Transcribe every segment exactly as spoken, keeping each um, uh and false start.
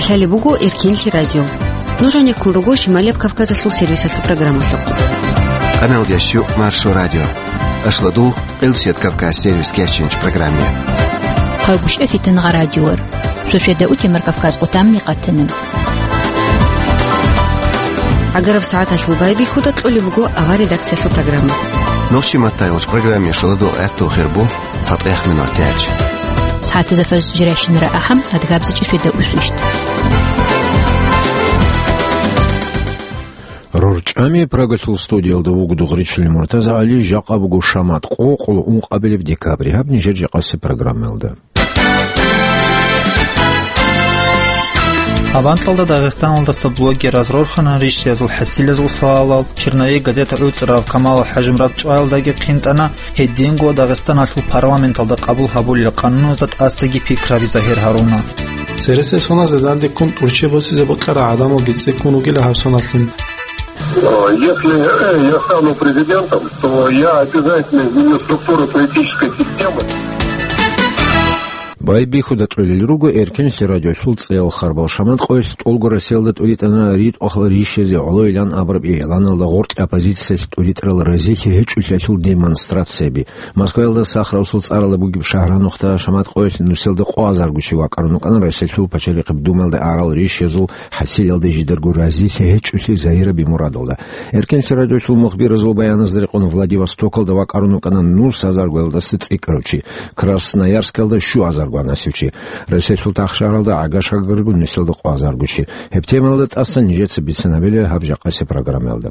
Талеб буго Эркенлъи радио. Нуж гьанеккун руго Шималияб Кавказалъул сервисалъул программалъухъ. Къаналдящу Маршо радио. Ашладул Къилсият Кавказ сервис кечинч программе. Хъагушев Фитнагъа радиор. Шошеда утемар Кавказ къутамни къатана. Агараб сагӀаталъул байбихьуда кьолеб буго авар редакциялъул программа. Нохчи маттайолч программе шаладул гӀатту хирбу. ЦатӀех минут тяч. СагӀатазда фаз жирайщинара ахӀам, адгабзичӀи феда усвищт. РорчӀами Прагалъул студиялда вуго Дугъричилин МуртазагӀали, жакъа буго шамат къо, къоло ункъабилеб декабрь. Гьаб нижер жакъаси программаялда. Авантлъалда Дагъистаналдаса блогераз рорхана ришшиязул хӀасилазул суалал, Черновик газета гӀуцӀрав Камалов ХӀажимурад чӀваялдаги хъинтӀана, гьединго Дагъистаналъул парламенталда къабул гьабулел къануназда тӀасаги пикраби загьир гьаруна. Цересел соназда дандеккун тӀурччи босизе бокьарал гӀадамалги цӀикӀкӀун ругила гьаб соналъ. Э, если, э, я стану президентом, то я обязательно изменю структуру политической системы. Байбихьуда кьолел руго Эркенлъи радиолъул цӀеял харбал. Шамат къоялъ тӀолго Россиялда тӀуритӀана ритӀухъал ришизе гӀолойилан абураб игӀланалда гъоркье оппозициялъ тӀуритӀарал разилъи гьечӀолъиялъул демонстрацияби. Москваялда Сахаровсул цӀаралда бугеб шагьранухъда шамат къоялъ нусиялда къо азарго чи вакӀарун вукӀана Россиялъул пачалихъеб Думаялда арал ришиязул хӀасилалда жидарго разилъи гьечӀолъи загьираби мурадалда. Эркенлъи радиолъул мухбиразул баяназда рекъон Владивостокалда вакӀарун вукӀана нус азаргоялдаса цӀикӀкӀарав чи, Красноярскалда щуазарго гьанасев чи, Россиялъул тахшагьаралда гӀага-шагарго нусиялда къо азарго чи. Гьеб темаялда тӀасан нижеца бицинабила гьаб жакъаси программаялда.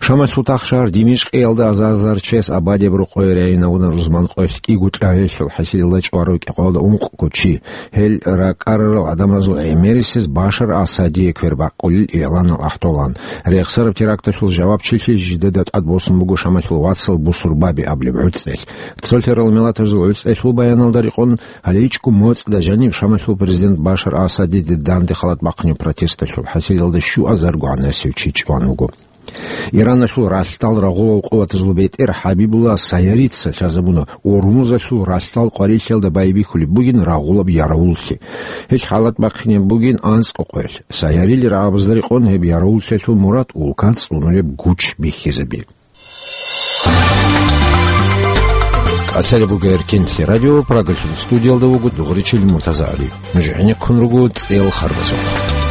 Шамалъул тахшагьар Димишкъиялда азар-азар чияс абадияб рокъое райинавуна рузман къоялъ кӀиго тӀагӀелъул хӀасилалда чӀварав кӀикъоялда ункъго чи. Гьел ракӀарарал гӀадамазул гӀемерисез Башар Асадие квербакъулел игӀланал ахӀдолан. Рехсараб теракталъул жавабчилъи жидеда тӀадбосун буго Шамалъул вацал Бусурбаби абулеб гӀуцӀрелъ. Цолъарал миллатазул гӀуцӀрелъул баяналда рекъон, гьале ичӀго моцӀда жаниб Шамалъул президент Башар Асадиде данде халат бахъунеб протесталъул хӀасилалда щуазарго гьанасев чи чӀван вуго. Ираналъул ралъдал рагъулал къуватазул бетӀер ХӀабибулла Сайарица лъазабуна Урмузалъул ралъдал къварилъиялда байбихьулеб бугин рагъулаб яравуллъи. Гьелъ халат бахъинеб бугин анцӀго къоялъ. Сайарил рагӀабазда рекъон гьеб яравуллъиялъул мурад улка цӀунулеб гуч бихьизаби. Калъалеб буго Эркенлъи радио, Прагалъул студиялда вуго Дугъричил МуртазагӀали. Нуж гӀенеккун руго цӀел харбазухъ.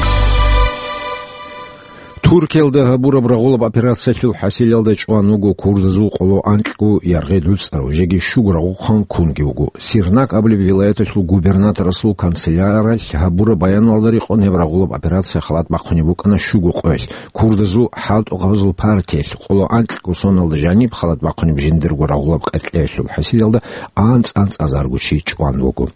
Туркиялда гьабураб рагъулаб операциялъул хӀасилалда чӀван вуго курдазул къоло анкьго яргъи дуцӀарав, жеги щуго рагъухъан кунги вуго. Сирнак абулеб вилаяталъул губернаторасул канцеляралъ гьабураб баяналда рекъон гьеб рагъулаб операция халат бахъунеб букӀана щуго къоялъ. Курдазул хӀалтӀухъабазул партиялъ къоло анкьго соналда жаниб халат бахъунеб жиндирго рагъулаб къеркьеялъул хӀасилалда анцӀ-анцӀазарго чи чӀван вуго.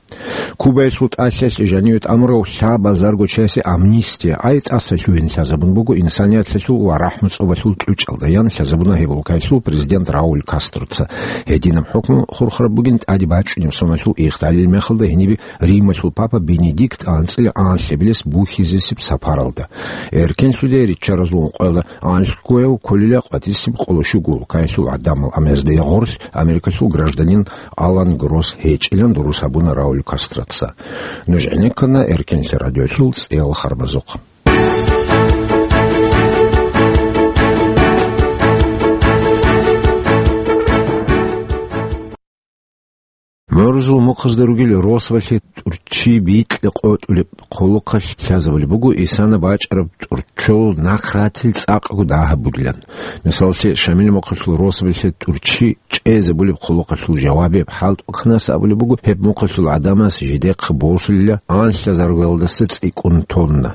Кубаялъул тӀалъиялъ жаниве тӀамурав лъабазарго чиясе амнистия, ай тӀаса лъугьин лъазабун буго инсанияталъул ва рахӀму-цӀобалъул кьучӀалда, ян лъазабуна гьеб улкаялъул президент Рауль Кастроца. Гьединаб хӀукму хурхараб бугин тӀаде бачӀунеб соналъул игъдалил мехалда гьенибе Рималъул папа Бенедикт анцӀила анлъабилес бухьизесеб сапаралда. Эркенлъуде риччаразул ункъоялда анлъгояв кколила къватӀисеб къоло щуго улкаялъул гӀадамал, амма гьезда гъорлъ Америкалъул гражданин Алан Гросс гьечӀилан дурус гьабуна Рауль Кастроца. Нуж гӀенеккана Эркенлъи радиолъул цӀеял харбазухъ. МгӀурузул мухъазда ругел росабалъе тӀурччи бикьа къотӀулеб хъулухъалъ лъазабулеб буго исана бачӀараб тӀурччол нахъратил цӀакъго дагьаб бугилан. Мисаллъе, Шамил мухъалъул росабалъе тӀурччи чӀезабулеб хъулухъалъул жавабияб хӀалтӀухъанас абулеб буго, гьеб мухъалъул гӀадамас жидехъа босулила анлъазаргоялдаса цӀикӀкӀун тонна.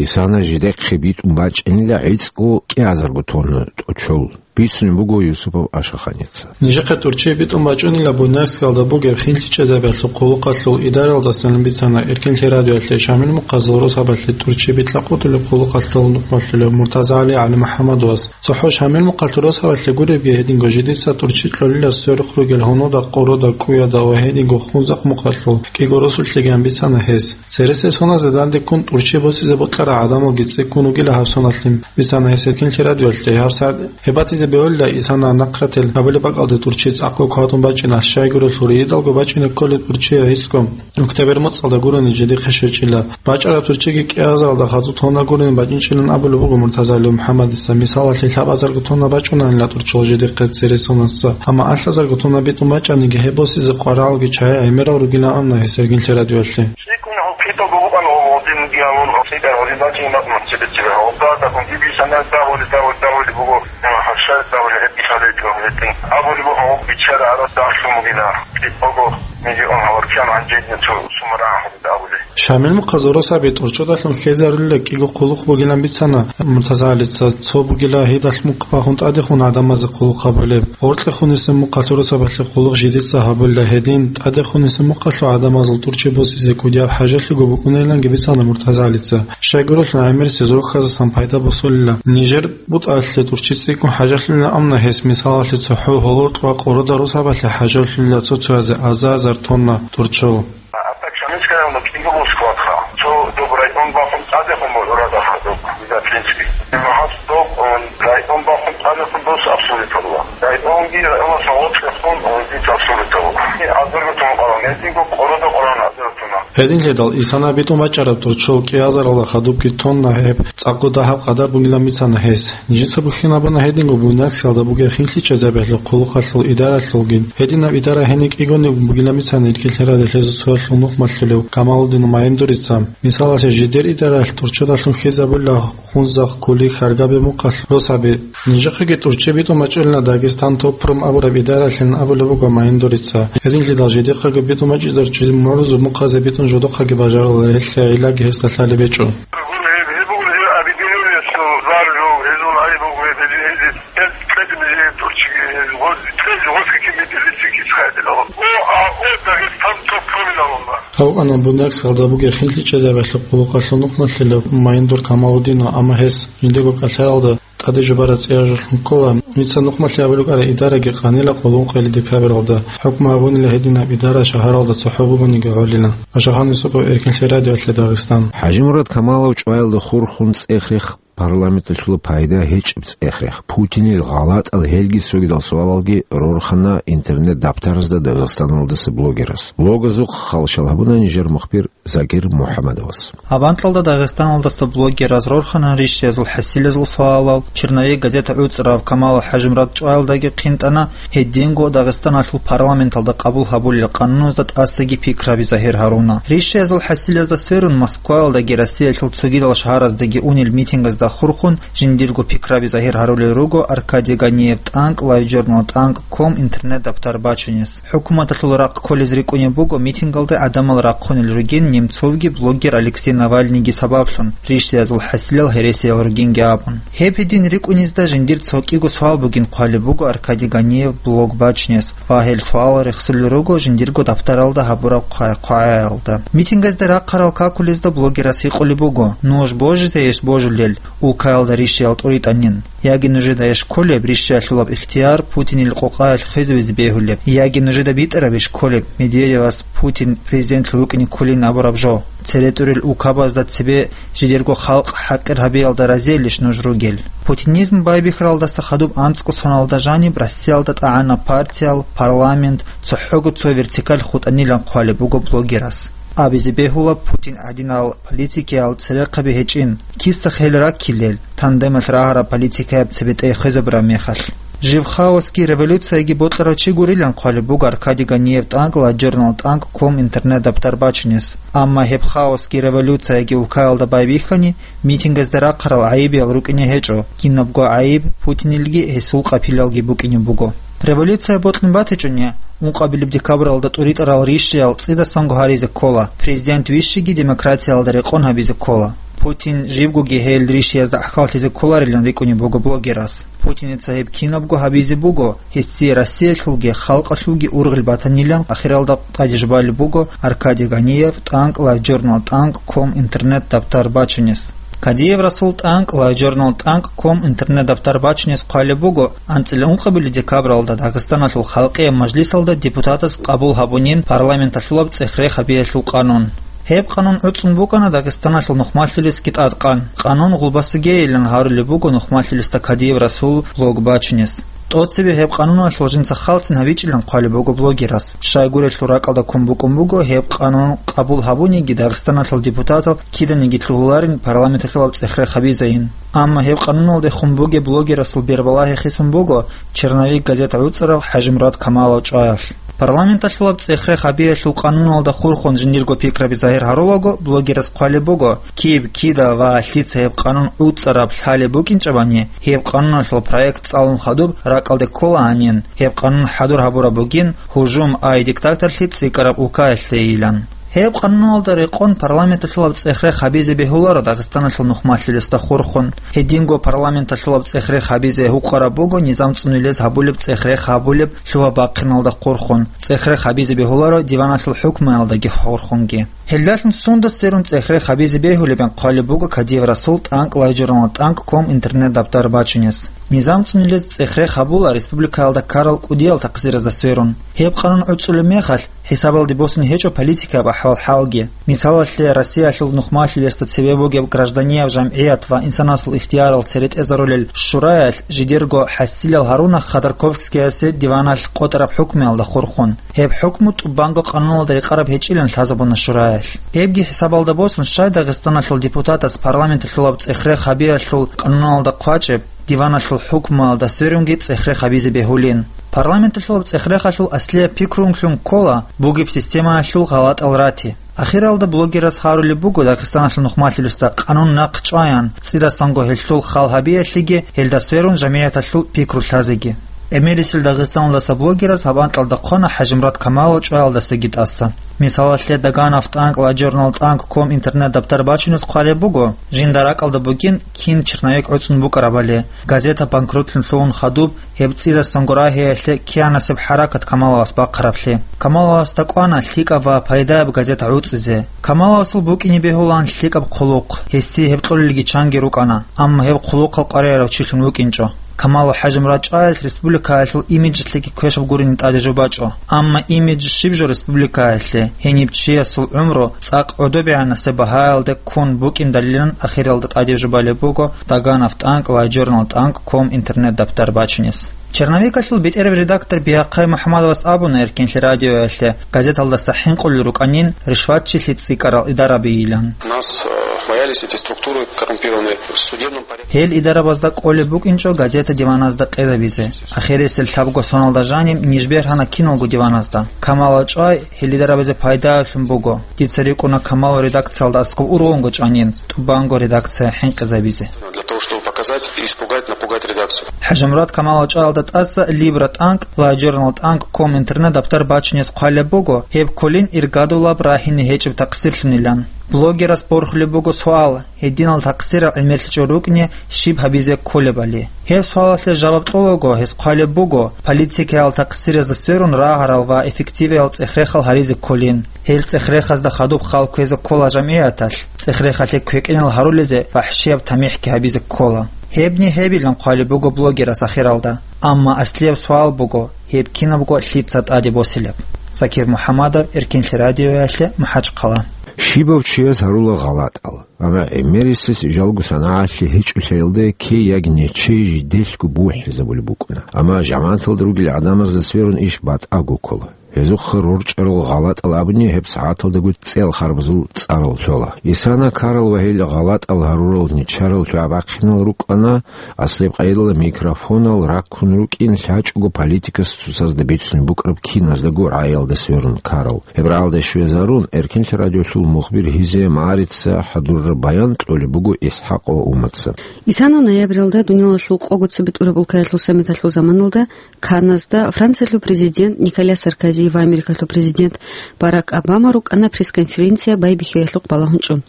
Исана жидехъе битӀун бачӀинила гӀицӀго кӀиазарго тонна тӀочол. Бицунеб буго Юсупов Ашаханица. Нижехъе тӀурччи битӀун бачӀунила Буйнакскалда бугеб хинлъи чӀезабиялъул хъулухъалъул идаралдасан бицана Эркенлъи радиоялъе Шамил мухъазул росабалъе тӀурччи бикьа къотӀулеб хъулухъалъул нухмалъулев МуртазагӀали ГӀалимухӀаммадовас. ЦохӀо Шамил мухъалъул росабалъе гуребги гьединго жидеца тӀурччи кьолила сверухъ ругел гьунуда, къоруда, кӀуяда ва гьединго Хунзахъ мухъалъул кӀиго росулъеги, ан бицана гьес. Цересел соназда дандеккун тӀурччи босизе бокьарал гӀадамалги цӀикӀкӀун ругила гьаб соналъ, бицана гьес Эркенлъи радиоялъе. Гьаб сагӀат гьеб батизе Бегьулла Исана нахърател абулеб бакӀалде тӀурччи цӀакъго кватӀун бачӀина, щайгурелъул рийидалго бачӀине кколеб тӀурччи гӀицӀго. Октябрь моцӀалда гурони жеде хъещечӀила. БачӀараб тӀурччиги кӀиазаралда хадуб тонна гурони бачӀинчӀилан абулеб буго МуртазагӀали МухӀаммадица. Мисалалъе, лъабазарго тонна бачӀунанила тӀурччол жеде хъе-, цересонаса, амма алъазарго тонна битӀун бачӀаниги, гьеб босизе къваригӀелги чагӀи гӀемерал ругилан абуна гьес Эргин лъерадиоялъе. ЦӀикӀкӀун гьаб китаб бугъан гьаб гьадин диалун, цӀикӀкӀар гьадин бачӀун бакӀ мун цебе-цебе гьаб. Дагьаб дагьаб гьиб исана дагьули, дагьули, дагьули буго, гьаршал дагьули гьеб исалай дагьули тӀин. Абули буго гьаб бичара гьарас дагьлъун бугила. ЦӀикӀкӀого миллион гьавар кьан гьанжедин цо сумара гьаб дагьули. Шамил Мухъазурусаби тӀурччодалъун хьезарулила кӀиго хъулухъ бугилан бицана МуртазагӀалица, цо бугила гьидалъ мухъ бахун тӀадехун гӀадамазе хъулухъ гьабулеб. Гъоркье хунисеб мухъалъ росабалъе хъулухъ жидеца гьабулила гьедин, тӀаде хунисеб мухъалъул гӀадамазул тӀурччи босизе кӀудияб хӀажалъиго букӀуниланги бицана МуртазагӀалица. Щайгурелъул гӀемерисез рохьазасан пайда босулила. Нижер бутӀалъе тӀурччи цӀикӀкӀун хӀажалъулила амна гьес, мисалалъе, цохӀо гьолорт ва къорода росабалъе хӀажалъулила цо-цоязе азар-азар тонна тӀурччол. А так Шамильская, ну, кӀиго бу складха. Цо доб район бахун тӀадехун бо-, рада хадуб, Бизатлинский. Магьас доб, он, район бахун тӀадехун дос абсолютно. Районги районас гъоркьехун, он, дис абсолютно. И азарго тун къалан, гьединго къорада къалан азарго туна. Гьединлъидал исана битӀун бачӀараб тӀурччол кӀиазаралда хадубги тонна гьеб цӀакъго дагьаб къадар бугилан бицана гьес. Нижеца бухьинабуна гьединго Буйнакскалда бугеб хинлъи чӀезабиялъул хъулухъалъул идаралъулгин. Гьединаб идара гьениб кӀигони бугилан бицана Эркин лъерадиоялъе цоялъул нухмалъулев Камалудин Майндурица. Мисалалъе, жидер идаралъ тӀурччодалъун хьезабула Хунзахъ, Кули, Хьаргабе мухъалъ росаби. Нижехъеги тӀурччи битӀун бачӀунила Дагестан Топпром абураб идаралъин абулеб буго Майндурица. Гьединлъидал жидехъаги битӀун бачӀизе тӀурччи мугӀрузул мухъазе битӀун жодохъаги бажарулел, гьелъие гӀиллаги гьесда лъалеб гьечӀо. Гьеб, гьеб буго гьеб объединениялъул заржу, гьезул гьай буго гьеб, гьез, гьез, гьез кьезе мезе тӀурччиги, гьез гъоз, гьез гъоз кики мидилиси кис хайдила. О, а, о, Дагестан топромилалума. Гьав ана Буйнакскалда бугеб хинлъи чӀезабиялъул хъулухъалъул нухмалъулев Майндур Камалудинов, амма гьес жиндирго кӀалъаялда тӀаде жубараб цӀияжулъун ккола. Нижеца нухмалъи абулеб букӀараб идараги къанила къуллукъ къели декабралда. ХӀукму гьабунила гьединаб идара шагьаралда цохӀо бугониги гӀолилан. Ашахан Юсупов, Эркин лъерадиоялъе, Дагъистан. ХӀажимурад Камалов чӀваялда хурхун цӀех-рех, парламенталъула пайда гьечӀеб цӀех-рех, Путинил гъалатӀал гьелги цогидал суалалги рорхана интернет-дабтаразда Дагъистаналдаса блогерас. Блогазухъ халщал гьабуна нижер мухбир Закир МухӀаммадовас. Гьаб анкьалда Дагъистаналдаса блогераз рорхана ришшиязул хӀасилазул суалал, Черновик газета гӀуцӀрав Камалов ХӀажимурад чӀваялдаги хъинтӀана, гьединго Дагъистаналъул парламенталда къабул гьабулел къануназда тӀасаги пикраби загьир гьаруна. Ришшиязул хӀасилазда сверун, Москваялдаги Россиялъул цогидал шагьараздаги унел митингазда хурхун, жиндирго пикраби загьир гьарулел руго Аркадий Ганиев тӀанкӀ, LiveJournal тӀанкӀ ком интернет-дабтар бачунес. ХӀукуматалъул рахъ кколез рикӀкӀунеб буго митингалде гӀадамал рахъунел ругин Немцовги блогер Алексей Навальныйги сабаблъун, ришшиязул хӀасилал гьересиял ругинги абун. Гьеб гьедин рикӀкӀунезда жиндир цо кӀиго суал бугин хъвалеб буго Аркадий Ганиев блог бачунес, ва гьел суал рехсулел руго жиндирго дабтаралда гьабураб хъвай-, хъвагӀаялда. Митингазде рахъарал какулезда блогерас гьикъулеб буго: «Нуж божизайищ божулел, улкаялда ришшиял тӀуритӀанин? Яги нужеда иш кколеб ришшиялъулаб ихтияр Путинил къокъаялъ хвезавизе бегьулеб? Яги нужеда битӀарабищ кколеб Медведевас Путин президентлъун рукӀине кколин абураб жо? Цере тӀурел улкабазда цебе жидерго халкъ хӀакъир гьабиялда разиялищ нуж ругел?» Путинизм байбихьаралдаса хадуб анцӀго соналда жаниб Россиялда тӀагӀанаб партиял, парламент, цохӀого цо вертикаль хутӀанилан хъвалеб буго блогерас. Абизе бегьула, Путин гӀадинал политикиял церехъаби гьечӀин, киса хел раккилел, тандемалъ рагьараб политикаяб цебетӀей хвезабураб мехалъ. Жив хаосги революцияги бокьарав чи гурилан хъвалеб буго Аркадий Ганиев тӀанкӀ, LiveJournal тӀанкӀ ком интернет-дабтар бачунес. Амма гьеб хаосги революцияги улкаялда байбихьани, митингазда рахъарал гӀайибиял рукӀине гьечӀо, кинабго гӀайиб Путинилги гьесул къапилалги букӀине буго. Революция бокьун батичӀони, ункъабилеб декабралда тӀуритӀарал ришшиял цӀидасанго гьаризе ккола, президент вищиги демократиялда рекъон гьабизе ккола. Путин живгоги гьел ришшиязда гӀахьаллъизе кколарилан рикӀкӀунеб буго блогерас. Путиница гьеб кинабго гьабизе буго, гьесие Россиялъулги халкъалъулги ургъел батанилан ахиралда тӀадежбалеб буго Аркадий Ганиев тӀанкӀ, LiveJournal тӀанкӀ ком интернет-дабтар бачунес. Кадиев Расул тӀанкӀ, LiveJournal тӀанкӀ ком интернет-дабтар бачунес хъвалеб буго анцӀила ункъабилеб декабралда Дагъистаналъул Халкъияб Мажлисалда депутатас къабул гьабунин парламенталъулаб цӀех-рех гьабиялъул къанун. Гьеб къанун гӀуцӀун букӀана Дагъистаналъул нухмалъулесги тӀадкъан. Къанун гъулбасугейилан гьарулеб буго нухмалъулесда Кадиев Расул блог бачунес. ТӀоцебе гьеб къануналъул жинца халцин гьабичӀилан хъвалеб буго блогерас. Щайгурелъул ракӀалда ккун букӀун буго гьеб къанун къабул гьабуниги Дагъистаналъул депутатал киданиги лъугьуларин парламенталъулаб цӀех-рех гьабизейин. Амма гьеб къануналдехун бугеб блогерасул бербалагьи хисун буго «Черновик» газета гӀуцӀарав ХӀажимурад Камалов чӀваялъ. Парламенталъулаб цӀех-рех гьабиялъул къануналда хурхун жиндирго пикраби загьир гьарулаго, блогерас хъвалеб буго, киб, кида ва лъица гьеб къанун гӀуцӀараб лъалеб букӀинчӀебани, гьеб къануналъул проект цӀалун хадуб ракӀалде ккола гьанин, гьеб къанун хӀадур гьабураб бугин гьужум ай диктаторлъи цӀикӀкӀараб улкаялъейилан. Гьеб къануналда рекъон парламенталъулаб цӀех-рех гьабизе бегьуларо Дагъистаналъул нухмалъулесда хурхун. Гьединго парламенталъулаб цӀех-рех гьабизе гьукъараб буго низам цӀунилез гьабулеб цӀех-рех гьабулеб лъугьа-бахъиналда хурхун, цӀех-рех гьабизе бегьуларо диваналъул хӀукмуялдаги хурхунги. Гьелдалъун сунда сверун цӀех-рех гьабизе бегьулебин хъвалеб буго Кадиев Расул тӀанкӀ лайжурналда тӀанкӀ ком интернет-дабтар бачунес. Низам цӀунилез цӀех-рех гьабула республикаялда ккарал кӀудиял такъсиразда сверун. Гьеб къанун гӀуцӀулеб мехалъ, хӀисабалде босун гьечӀо политикаяб ахӀвал-хӀалги. Мисалалъе, Россиялъул нухмалъулесда цебе бугеб гражданияв жамгӀият ва инсанасул ихтиярал цере тӀезарулел шураялъ жидерго хӀасилал гьаруна Ходорковскиясе диваналъ къотӀараб хӀукмуялда хурхун. Гьеб хӀукму тӀубанго къануналда рекъараб гьечӀилан лъазабуна шураялъ. Гьебги хӀисабалда босун, щай Дагъистаналъул депутатас парламенталъулаб цӀех-рех гьабиялъул къануналда хъвачӀеб, диваналъул хӀукмуялда сверунги цӀех-рех гьабизе бегьулин. Парламенталъулаб цӀех-рехалъул аслияб пикру унлъун ккола бугеб системаялъул гъалатӀал рати. Ахиралда блогерас гьарулеб буго Дагъистаналъул нухмалъулесда къанун нахъ чӀваян, цӀидасанго гьелъул хал гьабиялъеги, гьелда сверун жамигӀаталъул пикру лъазеги. Эмерисел Дагъистаналдаса блогерас гьаб анкьалда хъвана ХӀажимурад Камалов чӀваялдасаги тӀаса. Мисалалъе, Даганов тӀанкӀ, лайжурнал тӀанкӀ ком интернет-дабтар бачунес хъвалеб буго, жинда ракӀалда бугин кин черновик гӀуцӀун букӀарабали, газета банкротлъун лъугьун хадуб, гьеб цӀидасанго рагьиялъе киянасеб хӀаракат Камаловас бахъараблъи. Камаловасда кӀвана лъикӀаб ва пайдаяб газета гӀуцӀизе. Камаловасул букӀине бегьулаан лъикӀаб хъулухъ, гьесие гьеб кьолелги чанги рукӀана, амма гьеб хъулухъал къваригӀарав чилъун вукӀинчӀо. Камалов ХӀажимурад чӀваялъ республикаялъул имиджалъеги квешаб гурони тӀаде жо бачӀо. Амма имидж щиб жо республикаялъе, гьениб чиясул гӀумру цӀакъ гӀодобегӀанасеб багьаялде ккун букӀиндалилан ахиралда тӀаде жо балеб буго Даганов тӀанкӀ, лайжурнал тӀанкӀ ком интернет-дабтар бачунес. Черновикалъул бетӀерав редактор Бигьахъай МухӀамадовас абуна Эркинлъи радиоялъе газеталдаса хӀинкъулел рукӀанин ришватчилъи цӀикӀкӀарал идарабийилан. Нас, э, боялись эти структуры коррумпированные в судебном порядке. Гьел идарабазда кӀолеб букӀинчӀо газета диваназда къезабизе. Ахирисел лъабго соналда жаниб ниж бергьана киналго диваназда. Камалов чӀвай гьел идарабазе пайдаялъун буго. Дица рикӀкӀуна Камалов редакциялда аскӀоб ургъунго чӀванин, тӀубанго редакция хӀинкъизабизе. Для того, чтобы показать, испугать, напугать редакцию. ХӀажимурад Камалов чӀваялда тӀаса Либра тӀанкӀ, лайжурнал тӀанкӀ ком интернет-дабтар бачунес хъвалеб буго, гьеб кколин иргадулаб рагьине гьечӀеб такъсирлъунилан. Блогерас борхулеб буго суал, гьединал такъсирал гӀемерлъичӀого рукӀине щиб гьабизе кколебали. Гьеб суалалъе жаваб кьолаго, гьес хъвалеб буго, политикаял такъсиразда сверун рагьарал ва эффективиял цӀех-рехал гьаризе кколин. Гьел цӀех-рехазда хадуб хал кквезе ккола жамигӀаталъ, цӀех-рехалъе квекӀинал гьарулезе вахӀшияб тамихӀги гьабизе ккола. Гьебни гьебилан хъвалеб буго блогерас ахиралда. Амма аслияб суал буго, гьеб кинабго лъица тӀаде босилеб? Закир МухӀамадов, Эркинлъи радиоялъе, МахӀачхъала. Щибав чияс гьарула гъалатӀал, амма гӀемерисес жалго санагӀалъи гьечӀолъиялда кей яги нечей жиделъго бухӀизабулеб букӀуна. Амма жамагӀаталда ругел гӀадамазда сверун иш батӀаго ккола. Гьезухъа рорчӀарал гъалатӀал абуни гьеб сагӀаталдаго цӀел харбазул цӀарал лъола. Исана ккарал ва гьел гъалатӀал гьарурал нечарал лъугӀа-бахъинал рукӀана, аслияб къайдала микрофонал раккун рукӀин лъачӀого политикас цоцазда бицунеб букӀараб киназдаго рагӀиялда сверун ккарал. Гьеб рагӀалде щвезарун, Эркинлъи радиолъул мухбир Гьизия Марица хӀадураб баян кьолеб буго ИсхӀакъ ва Умаца. Исана ноябралда дуниялалъул къого цебетӀураб улкаялъул саммиталъул заманалда Канназда Франциялъул президент Николя Саркози ва Америкалъул президент Барак Обама рукӀана пресс-конференция байбихьиялъухъ балагьун чӀун.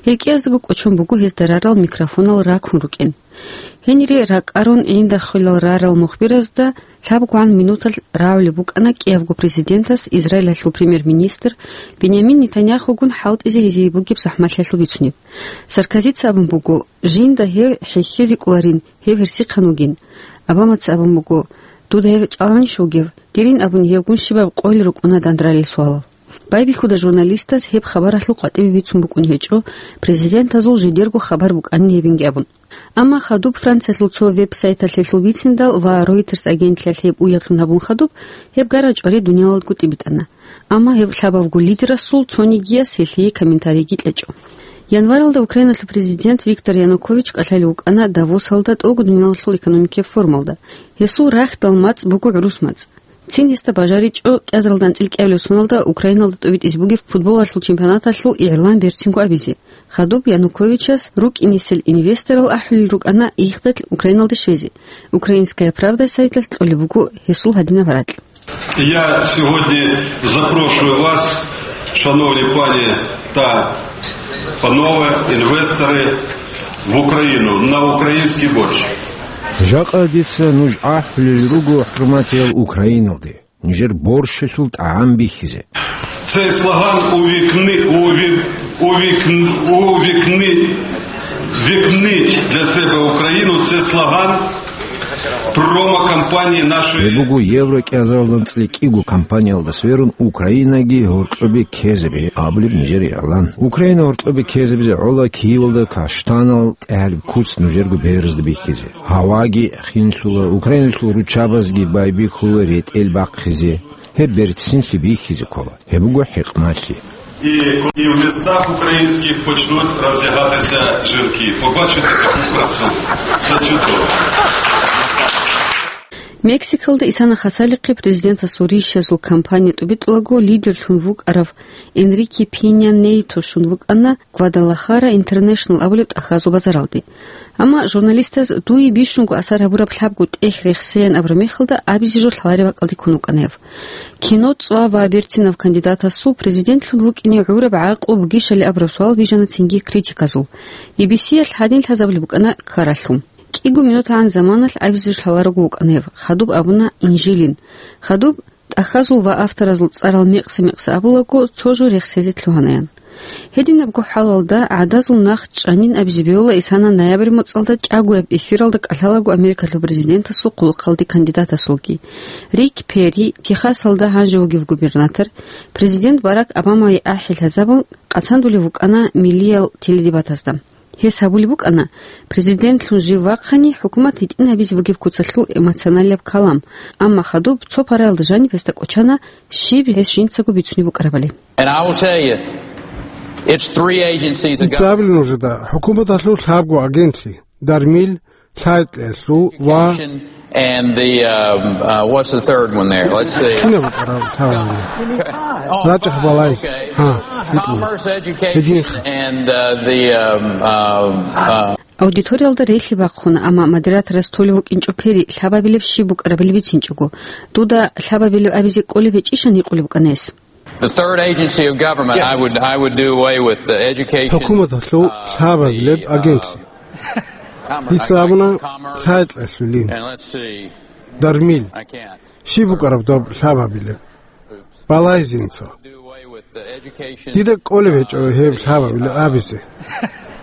Гьел кӀияздаго кӀочон буго гьезда рарал микрофонал раккун рукӀин. Гьенире ракӀарун гӀиндахъвилал рарал мухбиразда лъабгогӀан минуталъ рагӀулеб букӀана кӀиябго президентас Израилалъул премьер-министр Бинямин Нетаньяхугун хӀалтӀизе гьезие бугеб захӀмалъиялъул бицунеб. Саркозица абун буго, жинда гьев хӀехьезе кӀоларин, гьев гьерсихъан вугин. Обамаца абун буго, дуда гьев чӀалгӀунищ вугев? Дирин абуни гьевгун щибаб къойил рукӀуна дандралел суалал. Байбихьуда журналистаз гьеб хабаралъул къватӀибе бицун букӀун гьечӀо, президентазул жидерго хабар букӀанин гьебинги абун. Амма хадуб Франциялъул цо веб-сайталъ гьелъул бициндал ва Reuters агентлъиялъ гьеб уяблъун гьабун хадуб, гьеб гара чӀвари дуниялалдаго тӀибитӀана. Амма гьеб лъабавго лидерасул цонигияс гьелъие комментарийги кьечӀо. Январалда Украиналъул президент Виктор Янукович кӀалъалев вукӀана Давосалда тӀолго дуниялалъул экономикияб форумалда. Гьесул рахьдал мацӀ буго гӀурус мацӀ. Цин гьесда бажаричӀо кӀиазаралда анцӀила кӀиабилеб соналда Украиналда тӀобитӀизе бугеб футболалъул чемпионаталъул игӀлан берцинго абизе. Хадуб Януковичас рукӀинесел инвесторал ахӀулел рукӀана ихдалъ Украиналде щвезе. «Украинская правда» сайталъ кьолеб буго гьесул гьадинаб ракь. Я сьогодні запрошую вас, шановні пані та панове, інвестори, в Україну на український борщ. Жакъа дица нуж ахӀулел руго, хӀурматиял, Украиналде нижер борщалъул тӀагӀам бихьизе. Цей слоган увікни, увік-, увікн-, увікни, вікніть для себе Україну. Це слоган промо-кампанії нашої. Гьеб буго Евро кӀиазаралда анцӀила кӀиго кампаниялда сверун Украинаги гьоркьобе ккезабе абулеб нижер игӀлан. Украина гьоркьобе ккезабизе гӀола Киевалда каштанал тӀагӀалеб куц нужерго беразда бихьизе. Гьаваги хинлъула, Украиналъул руччабазги байбихьула ретӀел бахъизе. Гьеб берцинлъи бихьизе ккола. Гьеб буго хӀикмалъи. І, і в містах українських почнуть роздягатися жінки. Побачите таку красу. Це чудово. Мексикалда Исана Хасалихъе президентасул рищазул кампания тӀубитӀулаго лидерлъун вукӀарав Энрике Пиня Нейто щун вукӀана Гвадалахара Интернешнл абулеб тӀахьазул базаралде. Амма журналистаз дуе бищунго асар гьабураб лъабго тӀехь рехсеян абураб мехалда абизе жо лъалареб бакӀалде ккун вукӀана гьев. Кино цӀва ва берцинав кандидатасул президентлъун вукӀине гӀураб гӀакълу бугищали абураб суал бижана цинги критиказул. Би би си-ялъ гьадин лъазабулеб букӀана ккаралъул. КӀиго минутгӀан заманалъ абизе жо лъаларого вукӀана гьев, хадуб абуна инжилин. Хадуб тӀахьазул ва авторазул цӀарал мекъса-мекъса абулаго, цо жо рехсезе лъугьанаян. Гьединабго хӀалалда гӀадазул нах чӀанин абизе бегьула Исана ноябрь моцӀалда чӀагояб эфиралда кӀалъалаго Америкалъул президентасул хъулухъалде кандидатасулги. Рик Перри, Техасалда гьанже вугев губернатор, президент Барак Обамае ахӀи лъазабун къацандулев вукӀана миллиял теледебатазда. Гьес гьабулеб букӀана, президентлъун жив вахъани, хӀукумат гьитӀин гьабизе бугеб куцалъул эмоционалияб калам, амма хадуб цо параялда жаниб гьесда кӀочана щиб гьес жинцаго бицунеб букӀарабали. And I will tell you, it's three agencies of government. Дица абилин нужеда, хӀукуматалъул лъабго агентлъи, дармил, лъай-кьеялъул ва And the, um, uh, what's the third one there? Let's see. Кинаб букӀараб лъабабилеб? Oh, рачӀахъ балайз. Okay. Гьа, гьикъула. Commerce, education, Гьединха. And, uh, the, um, uh, uh, Аудиториялда релълъи бахъуна, амма модераторас толев вукӀинчӀо Перри лъабабилеб щиб букӀарабали бицинчӀого. Дуда лъабабилеб абизе кӀолеб гьечӀищан гьикъулеб букӀана гьес. The third agency of government, I would, I would do away with the education, uh, the, uh, uh, Commerce, I, I, Commerce. Дица абуна, лъай-кьеялъулин. And let's see. Дармил. I can't. Щиб букӀараб доб лъабабилеб? Балайзинцо. Дида кӀолеб гьечӀо гьеб лъабабилеб абизе.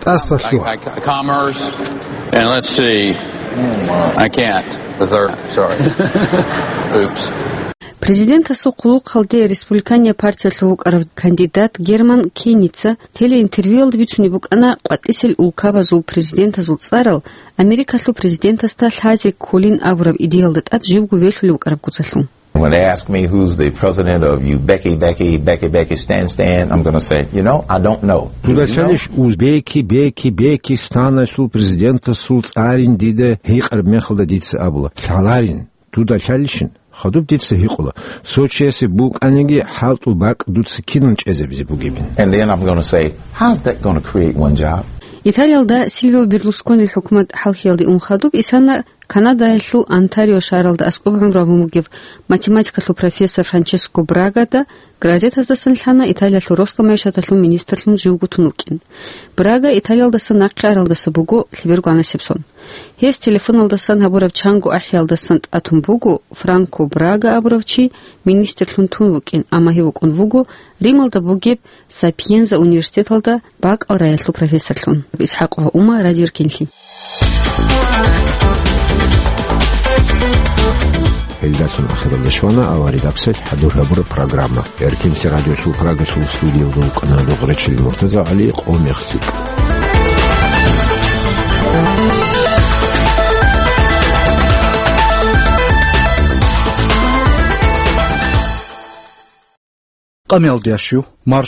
ТӀаса лъугьа. I, I, commerce, and let's see. I can't. The third, sorry. Oops. Президентасул хъулухъалде республикания партиялъул вукӀарав кандидат Герман Кеница телеинтервьюялда бицунеб букӀана къватӀисел улкабазул президентазул цӀарал Америкалъул президентасда лъазе кколин абураб идеялда тӀад живго велъулев вукӀараб куцалъул. When they ask me who's the president of Uzbeki, Beki, Beki, Beki, Stan, Stan, I'm gonna say, you know, I don't know. Дуда лъалищ Узбеки, Беки, Беки, Станалъул президентасул цӀарин дида гьикъараб мехалда дица абула, лъаларин. Дуда лъалищин? Хадуб дица гьикъула, цо чиясе букӀаниги хӀалтӀул бакӀ дуца кинан чӀезабизе бугебин. And then I'm gonna say, how's that gonna create one job? Италиялда Сильвио Берлусконил хӀукумат хӀалхьиялде ун хадуб Исана Канадаялъул Онтарио шагьаралда аскӀоб гӀумру гьабун бугев математикалъул профессор Франческо Брагада газетаздасан лъана Италиялъул росла майишаталъул министрлъун живго тун вукӀин. Брага Италиялдаса нахъе аралдаса буго лъеберго гӀанасеб сон. Гьес телефоналдасан гьабураб чанго ахӀиялдасан тӀатун буго, Франко Брага абурав чи министрлъун тун вукӀин, амма гьев вукӀун вуго Рималда бугеб Сапиенза университеталда бакӀалраялъул профессорлъун. ИсхӀакъ ва Умар, Радио Эркенлъи. Гьелдалъун ахиралда щвана аварагасел хӀадур гьабураб программа. Эркенлъи радиосул Прагалъул студиялда вукӀана Дугъречил МуртазагӀали, къо мехлъи. Къамиялдияв щив, марш